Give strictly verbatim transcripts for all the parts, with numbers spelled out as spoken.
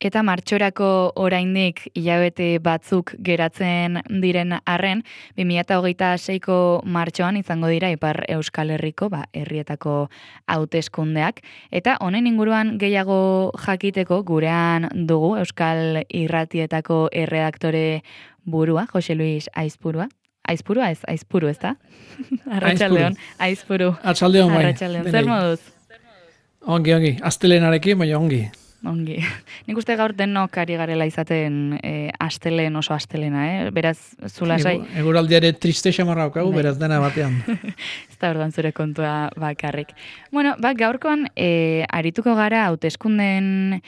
Eta martxorako oraindik hilabete batzuk geratzen diren arren, bi mila hogeita seiko martxoan izango dira Ipar Euskal Herriko ba, herrietako hauteskundeak. Eta honen inguruan gehiago jakiteko gurean dugu Euskal Irratietako erredaktore burua, Jose Luis Aizpurua. Aizpurua ez, Aizpuru, ez da? Arratsaldeon, Aizpuru. Arratsaldeon, bai. Arratsaldeon, zer moduz? Ongi, ongi. Astelenarekin, baina ongi. Ongi. Nik uste gaur denok ari garela izaten e, astelen oso astelena, eh? Beraz, zulasai. Eguraldiare triste xamarra haukagu, beraz dena batean. Ez da orduan zure kontua bakarrik. Bueno, ba, gaurkoan e, arituko gara hauteskundeen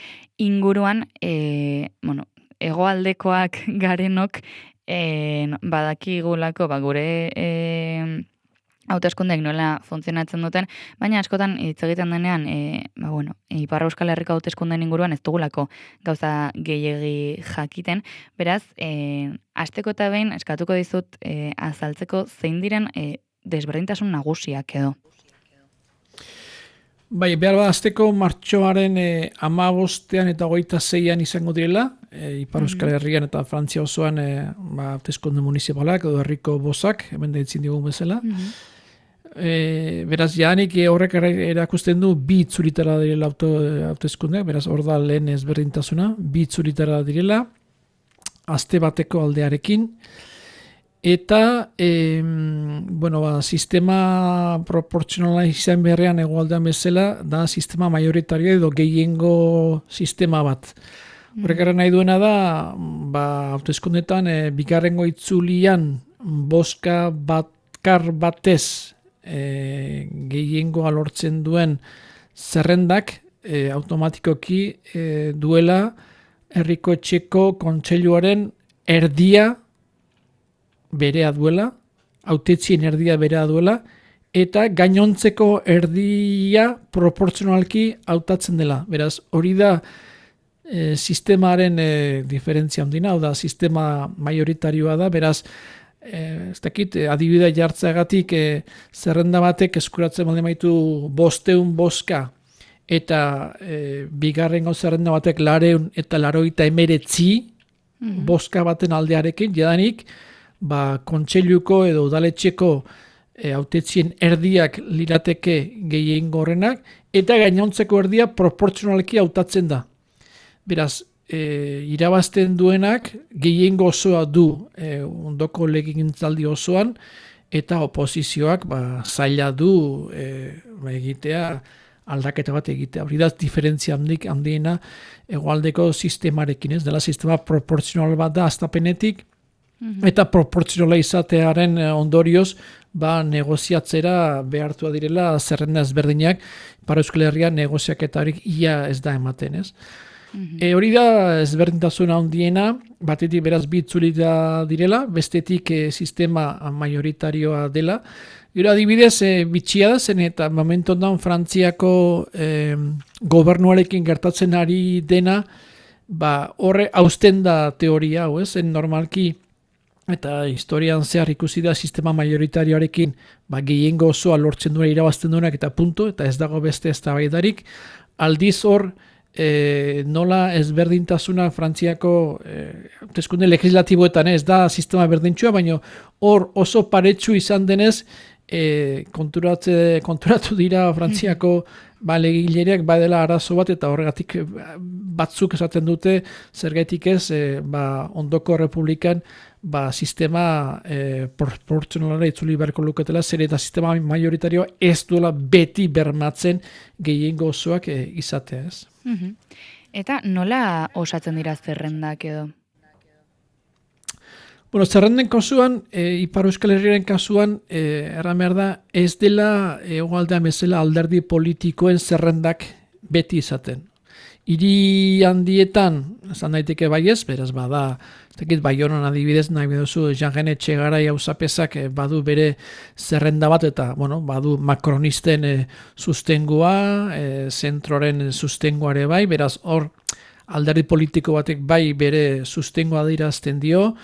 inguruan, e, bueno, hegoaldekoak garenok e, badakigulako, ba, gure e, hauteskundeek nola funtzionatzen duten, baina askotan hitz egiten denean, e, ba bueno, Ipar Euskal Herriko hauteskundeen inguruan ez dugulako gauza gehiegi jakiten, beraz, e, hasteko eta behin eskatuko dizut e, azaltzeko zein diren e, desberdintasun nagusiak edo. Bai, behar bat hasteko martxoaren e, hamabostean eta hogeita zeian izango direla, e, Ipar Euskal Herrian eta Frantzia osoan e, ba, hauteskunde municipalak edo herriko bozak, hemen deitzen digun bezala. Mm-hmm. E, beraz, jaanik e, horrek erakusten du bi itzulitara direla hauteskundeak, beraz, hor da lehen ezberdintasuna, bi itzulitara direla, aste bateko aldearekin, eta e, bueno, ba, sistema proportzionala izan beharrean egoaldean bezala, da sistema majoritario edo gehiengo sistema bat. Horrek era nahi duena da, ba, hauteskundetan e, bigarrengo itzulian boska batkar batez E, gehiengoa lortzen duen zerrendak e, automatikoki e, duela herriko etxeko kontseiluaren erdia berea duela, hautetsien erdia berea duela, eta gainontzeko erdia proportzionalki hautatzen dela. Beraz, hori da e, sistemaren e, diferentzia handina, hau da, sistema majoritarioa da, beraz, Eh, ez dakit, adibidea jartzeagatik eh, zerrenda batek eskuratzen baldin baitu bosteun boska eta eh, bigarrengo zerrenda batek lareun eta laroita emeretzi mm-hmm. boska baten aldearekin, jadanik ba, kontseiluko edo udaletxeko eh, hautetzien erdiak lirateke gehiengo horrenak eta gainontzeko erdia proportzionalki hautatzen da. Beraz, E, irabazten duenak gehiengo osoa du e, ondoko legegintzaldi osoan eta oposizioak ba, zaila du e, ba, egitea aldaketa bat egitea. Hori da diferentzia handik handiena hegoaldeko sistemarekin, ez dela sistema proportzional bat da hastapenetik mm-hmm. eta proportzionala izatearen ondorioz ba, negoziatzera behartua direla zerrenda ezberdinak para Euskal Herrian negoziaketarik ia ez da ematen, ez? Mm-hmm. E, hori da ezberdintasuna handiena, batetik beraz bi itzulita direla, bestetik e, sistema majoritarioa dela. Gero adibidez, e, bitxia da zen eta momentu ondan Frantziako e, gobernuarekin gertatzen ari dena, ba, horre hausten da teoria, hau ez, en normalki eta historian zehar ikusi da sistema majoritarioarekin ba, gehiengo osoa lortzen duena irabazten duenak eta punto, eta ez dago beste eztabaidarik, aldiz hor E, nola ezberdintasuna Frantziako hauteskunde e, legislatiboetan ez da sistema berdintxua, baina hor oso paretsu izan denez e, konturatze, konturatu dira Frantziako ba, legilereak badela arazo bat eta horregatik batzuk esaten dute zergaitik ez e, ba, ondoko republikan ba, sistema e, proportzionalara itzuli beharko luketela, zer eta sistema majoritarioa ez duela beti bermatzen gehiengo osoak e, izatea ez. Mm-hmm. Eta nola osatzen dira zerrendak edo? Bueno, zerrenden kasuan, e, Ipar Euskal Herriaren kasuan, e, erran behar da, ez dela hegoaldean bezala alderdi politikoen zerrendak beti izaten. Hiri handietan, esan daiteke baiez, beraz bada, ez Baionan adibidez, nahi beduzu, Jean-René Etxegarai auzapezak badu bere zerrenda bat, eta bueno, badu makronisten e, sustengua, e, zentroren sustenguare bai, beraz hor alderdi politiko batek bai bere sustengua adirazten dio,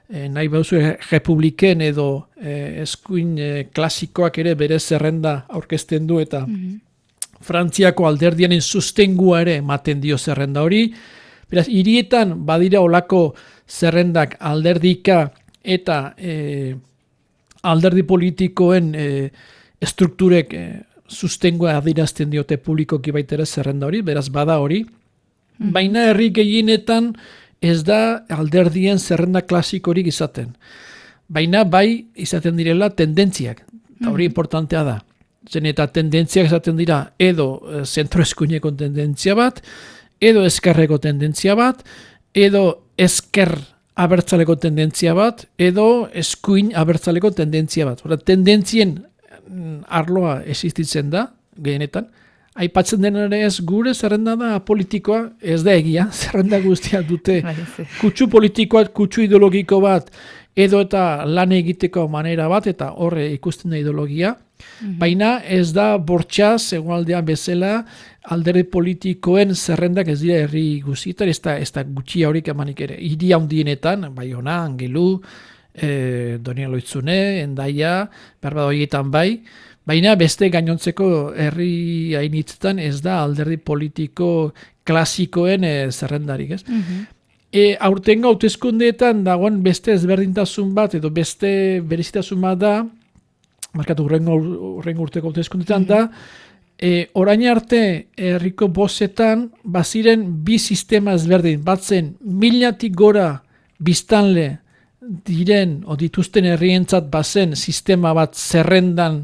e, nahi beduzu republiken edo e, eskuin e, klasikoak ere bere zerrenda aurkezten du, eta mm-hmm. Frantziako alderdianen sustengua ere ematen dio zerrenda hori, Beraz, hirietan badira olako zerrendak alderdika eta e, alderdi politikoen e, strukturek e, sustengoa adirazten diote publikoki baita ere zerrenda hori, beraz bada hori. Mm. Baina herri gehienetan ez da alderdien zerrenda klasikorik izaten. Baina bai izaten direla tendentziak, eta hori mm. importantea da. Zen eta tendentziak izaten dira edo e, zentro eskuineko tendentzia bat, edo ezkerreko tendentzia bat, edo ezker abertzaleko tendentzia bat, edo eskuin abertzaleko tendentzia bat. Hora, tendentzien arloa existitzen da, gehienetan. Aipatzen dena ere ez gure zerrenda da politikoa, ez da egia, zerrenda guztia dute kutsu politikoa, kutsu ideologiko bat, edo eta lan egiteko manera bat, eta horre ikusten da ideologia. Mm-hmm. Baina ez da bortxaz, egualdean bezala, alderdi politikoen zerrendak ez dira herri guztietan, ez da, ez da gutxi haurik emanik ere. Hiri handienetan, Baiona, Angelu, eh, Donian Loitzune, Endaia, berbada horietan bai, baina beste gainontzeko herri hainitzetan ez da alderdi politiko klasikoen e, zerrendarik, ez? Mm-hmm. E, aurtengo hauteskundeetan dagoen beste ezberdintasun bat edo beste berezitasun bat da, markatu urrengo, urrengo urteko hauteskundeetan mm-hmm. da, e, orain arte herriko bozetan baziren bi sistema ezberdin, batzen milatik gora biztanle diren o dituzten herrientzat bazen sistema bat zerrendan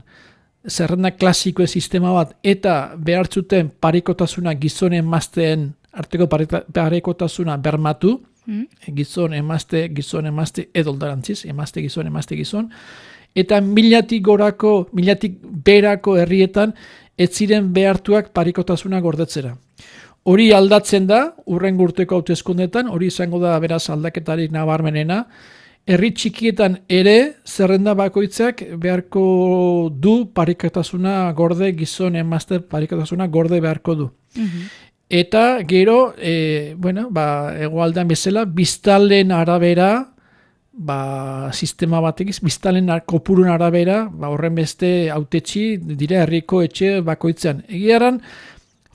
zerrenda klasikoen sistema bat eta behartzuten parekotasuna gizon emazteen arteko parekotasuna bermatu, mm. gizon emazte, gizon emazte edo alderantziz, emazte gizon, emazte gizon, eta milatik gorako, milatik berako herrietan ez ziren behartuak parekotasuna gordetzera. Hori aldatzen da, urrengo urteko hauteskundetan, hori izango da beraz aldaketarik nabarmenena, herri txikietan ere zerrenda bakoitzak beharko du parekotasuna gorde, gizon emazte parekotasuna gorde beharko du. Mm-hmm. Eta gero, e, bueno, ba, hegoaldean bezala, biztalen arabera, ba, sistema batekiz, biztalen kopurun arabera, ba, horren beste hautetxi dira herriko etxe bakoitzean. Egiaran,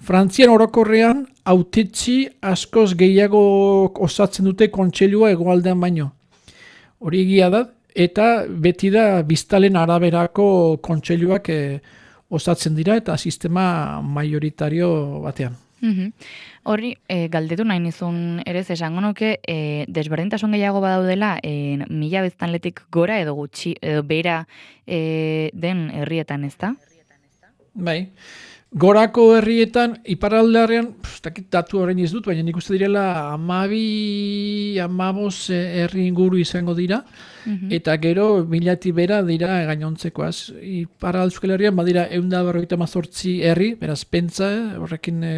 Frantzian orokorrean hautetxi askoz gehiago osatzen dute kontseilua hegoaldean baino. Hori egia da, eta beti da biztalen araberako kontseiluak e, osatzen dira eta sistema majoritario batean. Mm-hmm. Hori, e, galdetu nahi nizun ere esango nuke, e, desberdintasun gehiago badaudela, e, mila biztanletik gora edo gutxi, edo bera e, den herrietan, ez da? Bai. Gorako herrietan, iparraldean, dakit datu horrein ez dut, baina nik uste direla amabi, amabos herri inguru izango dira, mm-hmm. eta gero milati bera dira gainontzekoaz. Iparral Euskal Herrian badira ehun eta berrogeita hamazortzi herri, beraz pentsa, horrekin e,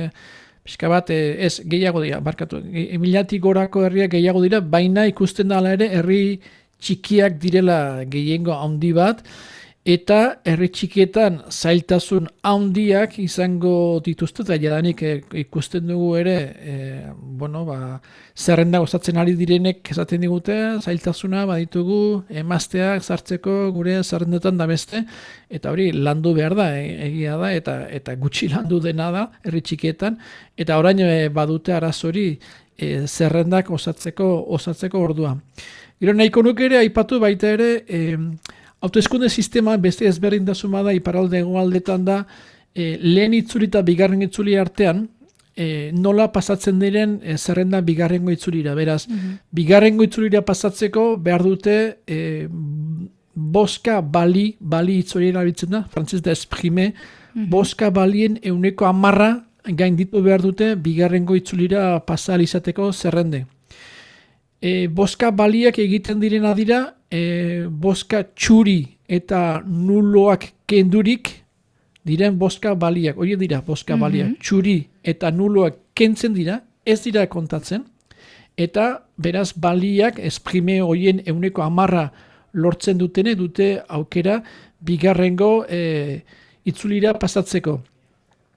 pixka bat, e, ez gehiago dira, barkatu, e, milati gorako herriak gehiago dira, baina ikusten da ere herri txikiak direla gehiengo handi bat, eta herri txikietan zailtasun handiak izango dituzte, eta jadanik ikusten dugu ere, e, bueno, ba, zerrenda osatzen ari direnek esaten digute, zailtasuna baditugu emazteak sartzeko gure zerrendetan da beste, eta hori landu behar da, e, egia da, eta eta gutxi landu dena da herri txikietan, eta orain e, badute arazori e, zerrendak osatzeko osatzeko ordua. Gero nahiko nuke ere aipatu baita ere, e, hauteskunde sistema beste ezberdintasuna da iparralde hegoaldetan da e, lehen itzuli eta bigarren itzuli artean e, nola pasatzen diren e, zerrenda bigarrengo itzulira. Beraz, mm-hmm. bigarrengo itzulira pasatzeko behar dute e, boska bali, bali itzuli erabiltzen da, frantzez da esprime, mm-hmm. boska balien euneko amarra gainditu behar dute bigarrengo itzulira pasal izateko zerrende. E, boska baliak egiten direna dira, e, boska txuri eta nuloak kendurik diren boska baliak. Hori dira boska baliak, mm-hmm. txuri eta nuloak kentzen dira, ez dira kontatzen, eta beraz baliak esprime horien euneko amarra lortzen dutene dute aukera bigarrengo e, itzulira pasatzeko.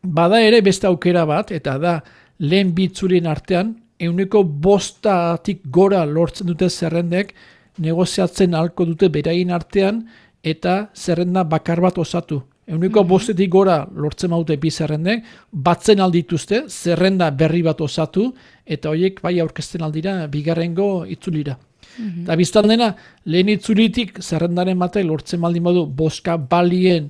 Bada ere beste aukera bat, eta da lehen bi itzulien artean, euneko bostatik gora lortzen dute zerrendek negoziatzen ahalko dute beraien artean eta zerrenda bakar bat osatu. Euniko Mhm. bostetik gora lortzen maute bi zerrendek, batzen aldituzte, zerrenda berri bat osatu, eta horiek bai aurkezten aldira bigarrengo itzulira. Mhm. Eta biztan dena, lehen itzulitik zerrendaren batek lortzen baldin badu boska balien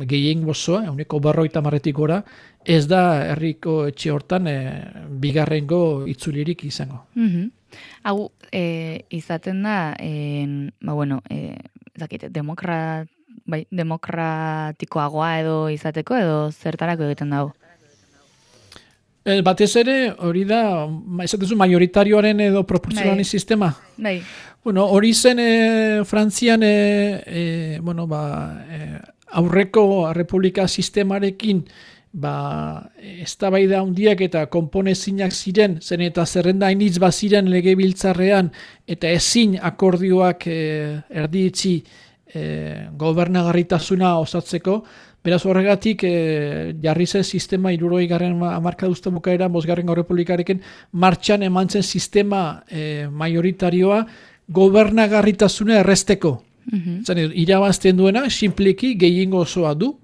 gehien gozoa, euneko berroita marretik gora, ez da herriko etxe hortan e, bigarrengo itzulirik izango. Mhm. Hau, e, izaten da, en, ba, bueno, e, zakit, demokra, bai, demokratikoagoa edo izateko, edo zertarako egiten dago? E, batez ere, hori da, ma- esatezu majoritarioaren edo proportzionalen Bai. sistema. Bai. Bueno, hori zen e, Frantzian e, e, bueno, ba, e, aurreko republika sistemarekin ba, eztabaida handiak eta konponezinak ziren, zen eta zerrenda hainitz baziren legebiltzarrean eta ezin akordioak e, erdietzi e, gobernagarritasuna osatzeko. Beraz horregatik e, jarri zen sistema hirurogei garren hamarkada bukaera bosgarren errepublikarekin martxan eman zen sistema e, majoritarioa gobernagarritasuna erresteko. Mhm. Zan, irabazten duena, simpliki gehiengo osoa du,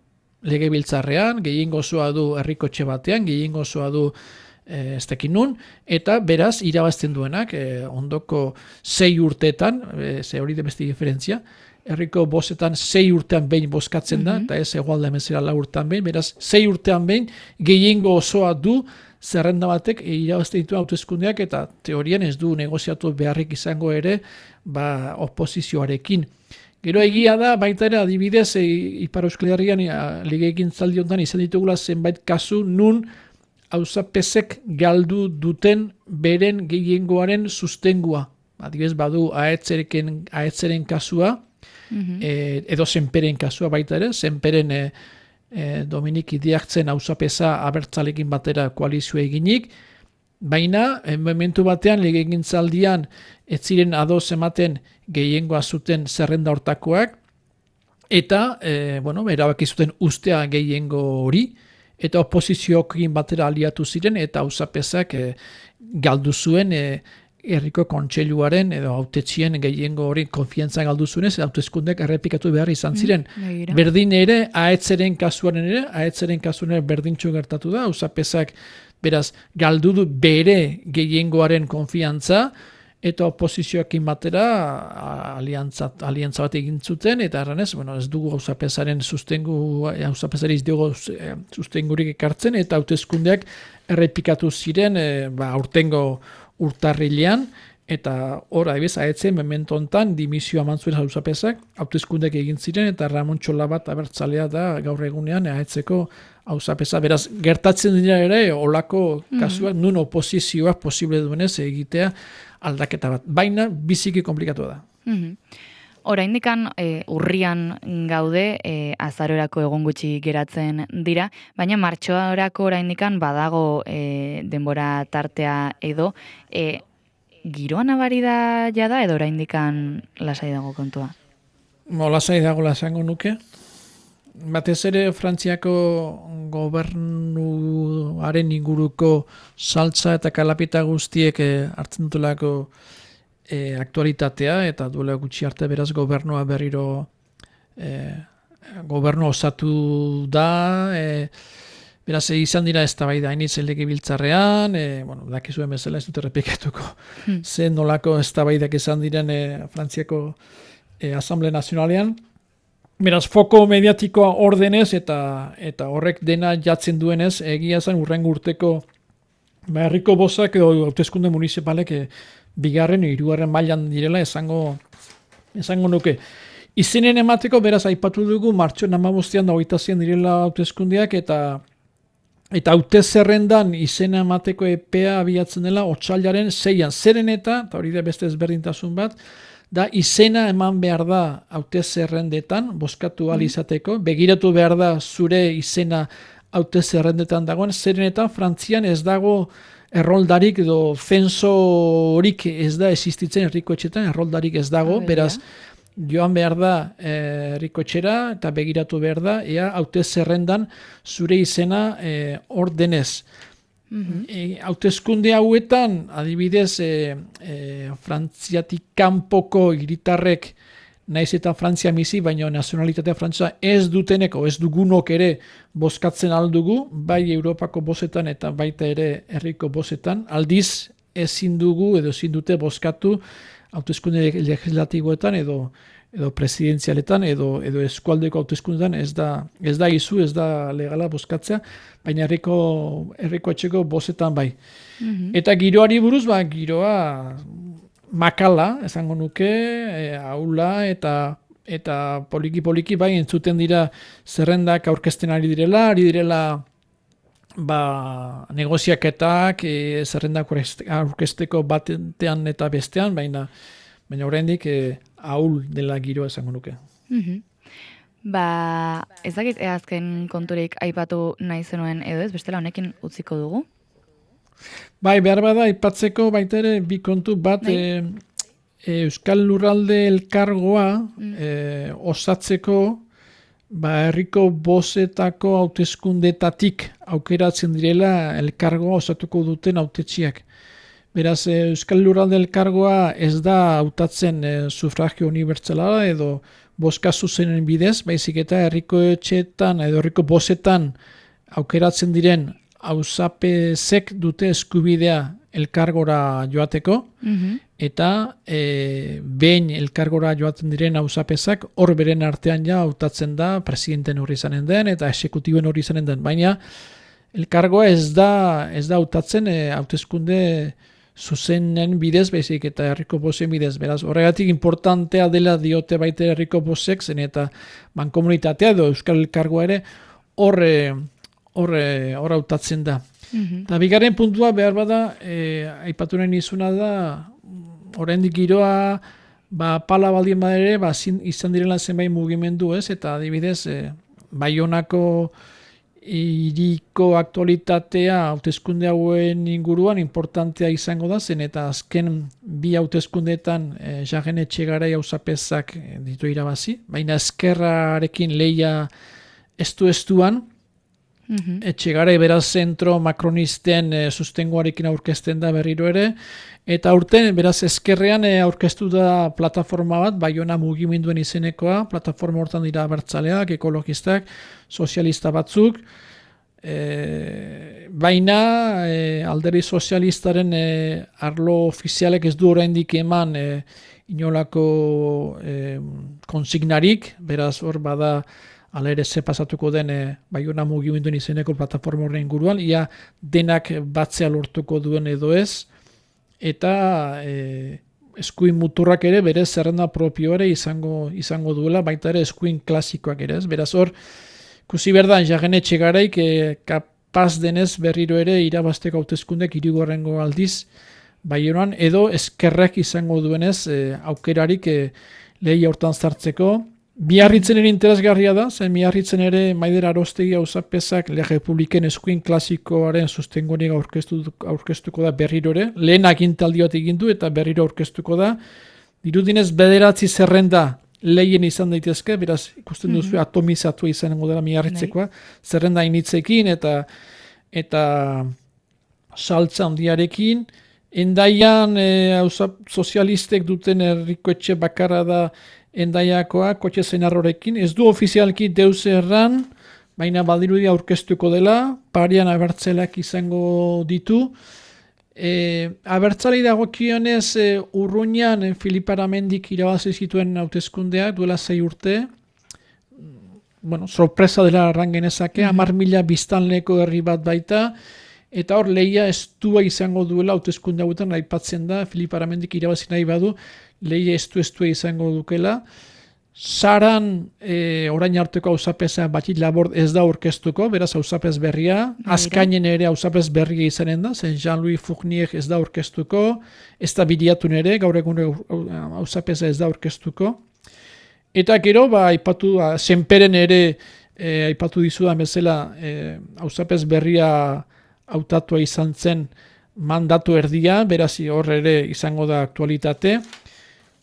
legebiltzarrean, gehiengo osoa du herrikotxe batean, gehiengo osoa du e, ez dakit nun, eta beraz irabazten duenak e, ondoko sei urteetan, e, ze hori da beste diferentzia, herriko bostetan sei urtean behin bozkatzen da, Mhm. eta ez egualda emezera lau urtean behin, beraz sei urtean behin gehiengo osoa du zerrenda batek irabazten ditu hauteskundeak eta teorian ez du negoziatu beharrik izango ere ba, oposizioarekin. Gero egia da, baita ere adibidez, e, Ipar Euskal Herrian e, legegintzaldi honetan izan ditugula zenbait kasu nun auzapezek galdu duten beren gehiengoaren sustengua. Adibidez badu aetzeren, aetzeren kasua, Mhm. e, edo zenperen kasua baita ere, zenperen e, e, Dominik Idiartzen auzapeza abertzalekin batera koalizioa eginik, baina e, momentu batean legegintzaldian ez ziren ados ematen gehiengoa zuten zerrenda hortakoak, eta e, bueno, erabaki zuten ustea gehiengo hori, eta oposizioekin batera aliatu ziren, eta auzapezak e, galdu zuen e, herriko kontseiluaren edo hautetxien gehiengo hori konfiantza galdu zuenez, hauteskundeak errepikatu behar izan ziren. Begira. Berdin ere, aetzeren kasuaren ere, aetzeren kasuan ere berdintxo gertatu da, auzapezak beraz galdu du bere gehiengoaren konfiantza, eta oposizioekin batera a- aliantza, aliantza bat egin zuten, eta erranez, bueno, ez dugu auzapezaren sustengu, auzapezari ez dugu eh, sustengurik ekartzen, eta hauteskundeak errepikatu ziren, eh, ba, aurtengo urtarrilean, eta hor, adibidez, aetzen memento hontan dimisioa eman zuen auzapezak, hauteskundeak egin ziren, eta Ramon Txolabat abertzalea da gaur egunean aetzeko auzapeza. Beraz, gertatzen dira ere, olako kasuak, nun oposizioak posible duenez egitea aldaketa bat. Baina, biziki komplikatu da. Mhm. Oraindikan e, urrian gaude, e, azarorako egun gutxi geratzen dira, baina martxoarako oraindikan badago e, denbora tartea edo, e, giroa nabari da jada edo oraindikan lasai dago kontua? Mo, lasai dago lasango nuke. Batez ere Frantziako gobernuaren inguruko saltza eta kalapita guztiek eh, hartzen dutulako eh, aktualitatea, eta duela gutxi arte beraz gobernua berriro eh, gobernu osatu da, eh, beraz izan dira eztabaida hainitz legebiltzarrean, eh, bueno, dakizuen bezala ez dut errepikatuko Hmm. zen nolako eztabaidak izan diren eh, Frantziako eh, Asamblea Nazionalean. Beraz, foko mediatikoa ordenez eta eta horrek dena jatzen duenez, egia zen urrengo urteko ba, herriko bozak edo hauteskunde municipalek e, bigarren edo hirugarren mailan direla esango esango nuke. Izenen emateko, beraz, aipatu dugu, martxoan hamabostean da hogeita zian direla hauteskundeak, eta eta haute zerrendan izena emateko epea abiatzen dela otsailaren seian. Zeren eta, eta hori da beste ezberdintasun bat, da izena eman behar da haute zerrendetan, bozkatu ahal izateko, begiratu behar da zure izena haute zerrendetan dagoen, zeren eta Frantzian ez dago erroldarik edo zensorik ez da existitzen herriko etxetan, erroldarik ez dago, Ah, beraz, joan behar da eh, herriko etxera eta begiratu behar da, ea haute zerrendan zure izena eh, ordenez. Mhm. E, hauteskunde hauetan, adibidez, e, e, Frantziatik kanpoko hiritarrek naiz eta Frantzia bizi, baina nazionalitatea Frantzia ez duteneko, ez dugunok ere bozkatzen aldugu, bai Europako bozetan eta baita ere herriko bozetan, aldiz ezin dugu edo ezin dute bozkatu hauteskunde legislatiboetan edo edo presidentzialetan edo edo eskualdeko hauteskundetan ez da ez da izu, ez da legala bozkatzea, baina herriko herriko etxeko bozetan bai. Mm-hmm. Eta giroari buruz, ba giroa makala, esango nuke, e, aula eta eta poliki poliki bai entzuten dira zerrendak aurkezten ari direla, ari direla ba negoziaketak, e, zerrendak aurkezteko batean eta bestean, baina baina oraindik e, ahul dela giroa esango nuke. Mm-hmm. Ba, ez dakit azken konturik aipatu nahi zenuen edo ez, bestela honekin utziko dugu? Bai, behar bada, aipatzeko baita ere bi kontu bat, e, e, Euskal Lurralde Elkargoa mm. e, osatzeko ba, herriko bozetako hauteskundetatik aukeratzen direla elkargoa osatuko duten hautetsiak. Beraz, e, Euskal Lurralde Elkargoa ez da hautatzen e, sufragio unibertsala edo bozka zuzenen bidez, baizik eta herriko etxeetan edo herriko bozetan aukeratzen diren hauzapezek dute eskubidea elkargora joateko, mm-hmm. eta e, behin elkargora joaten diren hauzapezak hor beren artean ja hautatzen da presidenten hori izanen den eta esekutiben hori izanen den, baina elkargoa ez da ez da hautatzen e, hauteskunde zuzenen bidez, baizik eta herriko bozen bidez. Beraz, horregatik importantea dela diote baita herriko bozek, zen eta mankomunitatea edo Euskal Elkargoa ere horre hor hor hautatzen da. Mm-hmm. Eta bigarren puntua behar bada, e, aipatu nahi nizuna da, oraindik giroa, ba, pala baldien badere, ba, zin, izan direla zenbait mugimendu, ez? Eta adibidez, e, Baionako hiriko aktualitatea hauteskunde hauen inguruan importantea izango da, zen eta azken bi hauteskundeetan e, Jaren Etxegarai auzapezak ditu irabazi, baina ezkerrarekin lehia estu-estuan, Mm-hmm. Etxegarai beraz zentro makronisten e, sustengoarekin aurkezten da berriro ere, eta aurten beraz ezkerrean e, aurkeztu da plataforma bat, Baiona mugimenduen izenekoa, plataforma hortan dira abertzaleak, ekologistak, sozialista batzuk, e, baina e, alderdi sozialistaren e, arlo ofizialek ez du oraindik eman e, inolako e, konsignarik, beraz hor bada hala ere ze pasatuko den e, Baiona mugimenduen izeneko plataforma horren inguruan, ia denak batzea lortuko duen edo ez, eta e, eskuin muturrak ere bere zerrenda propio ere izango izango duela, baita ere eskuin klasikoak ere ez. Beraz hor, ikusi berdan Jaren Etxegaraik e, kapaz denez berriro ere irabazteko hauteskundek hirugarrengo aldiz Baionan, edo eskerrek izango duenez e, aukerarik e, lehia hortan sartzeko. Biarritzen ere interesgarria da, zen Biarritzen ere Maider Arostegi auzapezak Le Republiken eskuin klasikoaren sustengorik aurkeztu, aurkeztuko da berriro ere. Lehen agintaldi bat egin du eta berriro aurkeztuko da. Dirudinez bederatzi zerrenda lehien izan daitezke, beraz ikusten duzu mm-hmm. atomizatu izango dela Biarritzekoa, zerrenda initzekin eta eta saltza handiarekin. Endaian e, sozialistek duten herriko etxe bakarra da Endaiakoa, kotxe zenarrorekin, ez du ofizialki deus erran, baina badirudi aurkeztuko dela, parian abertzaleak izango ditu. E, abertzalei dagokionez e, Urruñan e, Filip Aramendik irabazi zituen hauteskundeak duela sei urte, bueno, sorpresa dela arrangenezake, mm-hmm. hamar mila biztanleko herri bat baita, eta hor lehia estua izango duela hauteskunde hauetan aipatzen da, Filip Aramendik irabazi nahi badu, lehia estu-estua izango dukela. Saran e, orain arteko auzapeza batit labor ez da aurkeztuko, beraz auzapez berria, Azkainen ere auzapez berria izanen da, zen Jean-Louis Fournier ez da aurkeztuko, ez da Bidiatun ere, gaur egun auzapeza ez da aurkeztuko. Eta gero, ba, aipatu, Senperen ere e, aipatu dizudan bezala, e, auzapez berria hautatua izan zen mandatu erdia, beraz hor ere izango da aktualitate.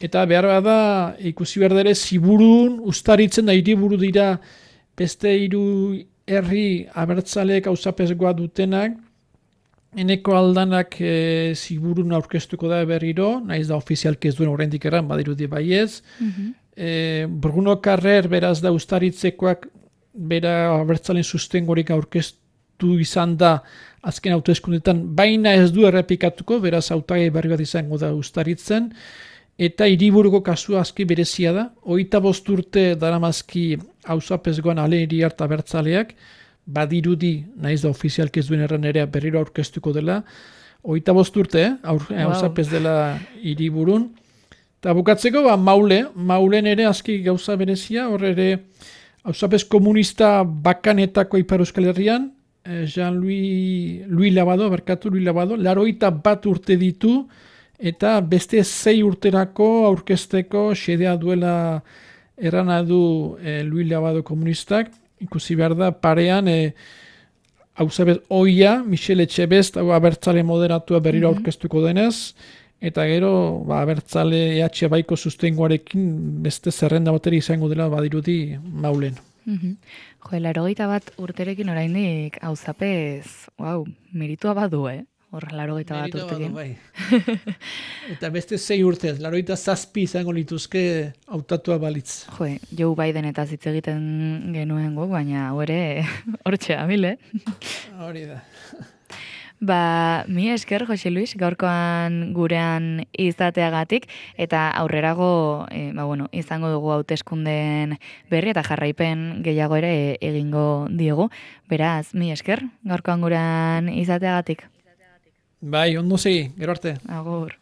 Eta behar da, ikusi behar dere, Ziburun, Uztaritzen da hiriburu dira beste hiru herri abertzaleek auzapezgoa dutenak, eneko aldanak e, Ziburun aurkeztuko da berriro, naiz da ofizialki ez duen oraindik erran, badirudi baiez, mm-hmm. E, Bruno Carrer beraz da Uztaritzekoak bera abertzalen sustengorik aurkeztu izan da azken hauteskundetan, baina ez du errepikatuko, beraz hautagai berri bat izango da Uztaritzen, eta hiriburuko kasua aski berezia da, hogeita bost urte daramazki auzapezgoan ale hiriar eta abertzaleak, badirudi, naiz da ofizialki ez duen erran ere berriro aurkeztuko dela, hogeita bost urte, eh? Auzapez wow. dela hiriburun. Eta bukatzeko, ba, maule, maulen ere aski gauza berezia, hor ere auzapez komunista bakanetako Ipar Euskal Herrian, Jean-Louis Louis Labado, berkatu Louis Labado, laroita bat urte ditu, eta beste zei urterako aurkezteko xedea duela errana du e, Louis Labado komunistak, ikusi behar da parean e, auzapez oia, Michel Etxebest, abertzale moderatua berriro mm-hmm. aurkeztuko denez, eta gero, ba, abertzale E H baiko sustengoarekin beste zerrenda bateri izango dela badirudi maulen. Mm-hmm. Jo, larogeita bat urterekin oraindik auzapez, wow, meritua badu, eh? Hor, larogeita bat urtekin. Bai. Eta beste zei urtez, larogeita zazpi izango lituzke hautatua balitz. Jo, Joe Biden eta hitz egiten genuen gu, baina hori hortxe amile. Hori da. Ba, mi esker, Jose Luis, gaurkoan gurean izateagatik, eta aurrerago, e, ba, bueno, izango dugu hauteskundeen berri eta jarraipen gehiago ere egingo diegu. Beraz, mi esker, gaurkoan gurean izateagatik. Bai, ondo segi, gero arte. Agur.